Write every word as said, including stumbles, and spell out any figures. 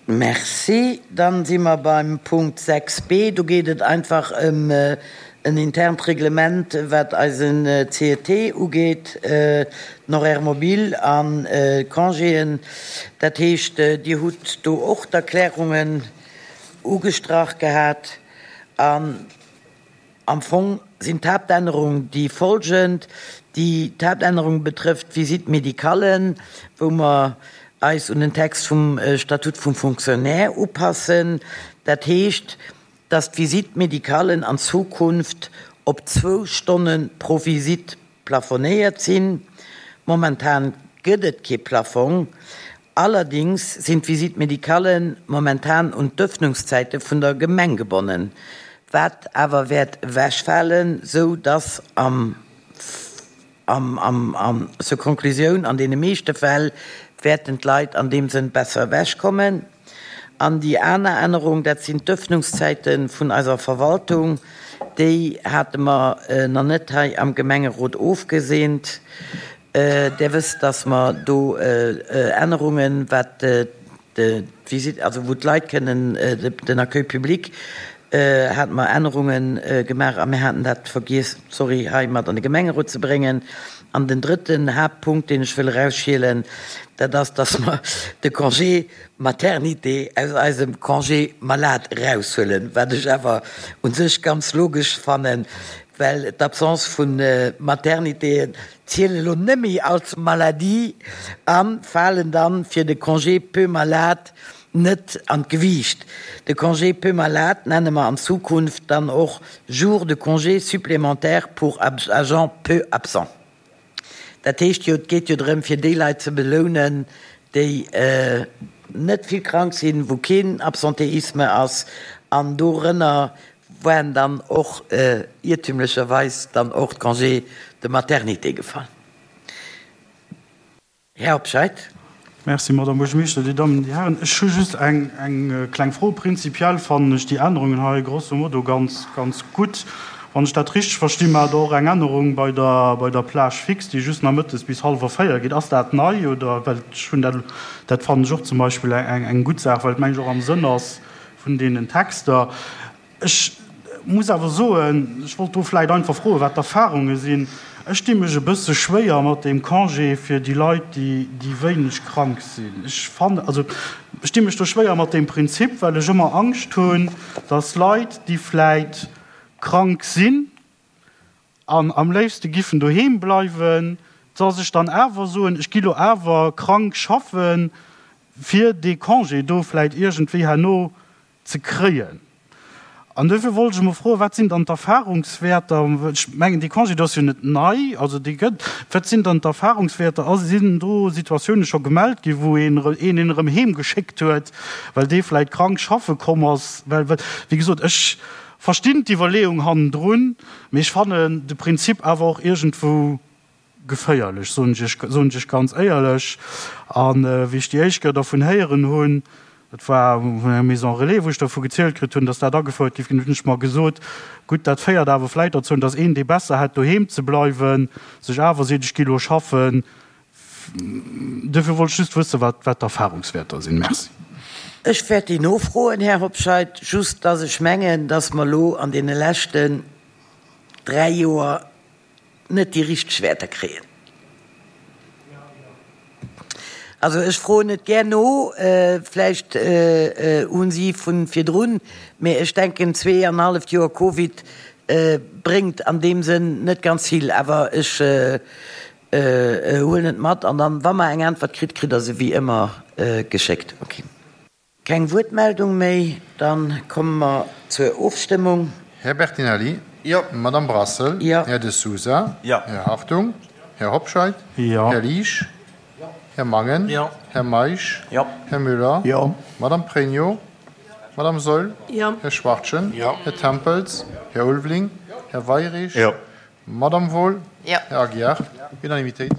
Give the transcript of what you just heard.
Merci. Dann si mer beim Punkt sechs b. Do geet et einfach ëm en internt Reglement, wat eisen C E T ugeet, den Horaire mobile an d'Congéen. Dat heescht, Dir hutt do och d'Erklärungen ugestrach gehat. An am Fong sinn d'Haaptännerung déi folgend. Déi d'Haaptännerung betrëfft d'Visite médicalen, wou mer eis un den Text vum Statut vum Fonctionnaire upassen. Dat heescht, dass d'Visite médicalen an Zukunft op zwou Stonne pro Visite plafonéiert sinn. Momentan gëtt et kee Plafong. Allerdings sinn d'Visite médicalen momentan un d'Ëffnungszäite vun der Gemeng gebonnen, wat awer wäert ewechfalen, sou dass am am am am zur Konklusioun, an deene meeschte Fäll wäerten d'Leit an deem Sënn besser ewechkommen. An déi aner Ännerung, dat sinn d'Ëffnungszäite vun eiser Verwaltung. Déi hate mer nach net hei am Gemengerot ofgeseent. Där wësst, dass mer do Ännerungen, wat d'Visite, also wou d'Leit kënnen, den Accueil public, hate mer Ännerunge gemaach a mir haten dat vergiess, sorry, hei mat an de Gemengerot ze bréngen. An den drëtten Haaptpunkt, deen ech wëll erausschielen, dat ass, dass mer de Congé maternité aus eisem Congé malade eraushuelen, wat ech awer u sech ganz logesch fannen, well d'Absence vu Maternitéen zielen elo net méi als Maladie a falen dann fir de Congé peu malade net an d'Gewiicht. De Congé peu malade nenne mer an Zukunft dann och Jours de congé supplémentaires pour agents peu absents. Dat heescht jo, et geet jo drëm, fir déi Leit ze belounen, déi net vill krank sinn, wou keen Absentéisme ass, an dorënner waren dann och iertümlecherweis dann och d'Congés de maternité gefall. Här Hobscheit. Merci, Madame Buergermeeschter, Dir Dammen, Dir Hären. Ech hu just eng, eng kleng Fro. Prinzipiell fannen ech déi Ännerungen hei grosso modo ganz, ganz gutt. Wann ech dat richteg verstinn, maacht Der och eng Ännerung bei der, bei der Plage fixe, déi just namëttes bis hallwer véier geet. Ass dat nei oder? Well ech hunn dat, dat fannen ech och zum Beispill eng, eng gutt Saach, well et, meng ech, och am Sënn ass vun deenen Texter. Ech muss awer soen, ech wollt do vläicht einfach froen, wat d'Erfahrunge sinn. Ech di mech e bësse schwéier mat deem Congé fir déi Leit, déi, déi wéineg krank sinn. Ech fannen, also ech di mech do schwéier mat deem Prinzip, well ech ëmmer Angscht hunn, dass Leit, déi vläicht krank sinn an am léifste giffen doheem bleiwen, dass ech dann awer soen, ech gi lo awer krank schaffen, fir dee Congé do vläicht iergendwéi herno ze kréien. An dofir wollt ech emol froen, wat sinn dann d'Erfahrungswäerter? Ech mengen, dee Congé do ass jo net nei, also dee gëtt. Wat sinn dann d'Erfahrungswäerter? A sinn do Situatioune scho gemellt ginn, wou een een een erëm heem geschéckt huet, well dee vläicht krank schaffe komm ass? Well, wéi gesot, ech verstinn d'Iwwerleeung hannendrun, mee ech fannen de Prinzip awer och iergendwou geféierlech, soen ech Iech, soen ech Iech ganz éierlech. A wéi ech déi éischt Kéier dervun héieren hunn, dat war vun enger Maison relais, wou ech dervu gezielt kritt hunn, dass dat agefouert géif ginn, hunn ech mer gesot, gutt, dat féiert awer vläicht derzou, dass een, dee besser hätt doheem ze bleiwen, sech awer seet, ech gi lo schaffen. Duerfir wollt ech just wëssen, wat, wat d'Erfahrungswäerter sinn. Merci. Ech wäert déi nofroen, Här Hobscheit, just dass ech mengen, dass mer elo an deene leschten dräi Joer net déi richteg Wäerter kréien. Also ech froen et gär no, vläicht hu si vu virdrun, mä ech denken, zwee an e halleft Joer Covid bréngt an deem Sënn net ganz vill. Awer ech huelen et mat an dann, wa mer eng Äntwert kritt, kritt Der se wéi ëmmer geschéckt. Okay. Keng Wuertmeldung méi, dann komme mer zur Ofstëmmung. Här Bertinelli. Jo. Madame Brassel. Jo. Här De Sousa. Jo. Här Hartung. Här Hobscheit. Jo. Här Liesch. Här Mangen. Jo. Här Meisch. Jo. Här Müller. Jo. Madame Pregno. Madame Saeul. Jo. Här Schwachtgen. Jo. Här Tempels. Här Ulveling. Här Weirich. Jo. Madame Wohl. Jo. Här Aguiar. Unanimitéit.